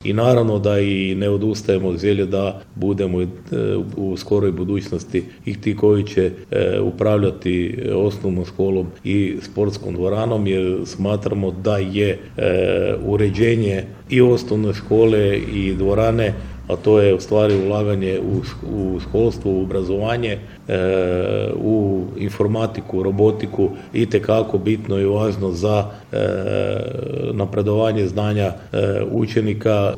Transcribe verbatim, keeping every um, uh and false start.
i naravno da i ne odustajemo od želje da budemo u skoroj budućnosti i ti koji će upravljati osnovnom školom i sportskom dvoranom, jer smatramo da je uređenje i osnovne škole i dvorane, a to je u stvari ulaganje u, u školstvo, u obrazovanje, e, u informatiku, robotiku, itekako bitno i važno za e, napredovanje znanja e, učenika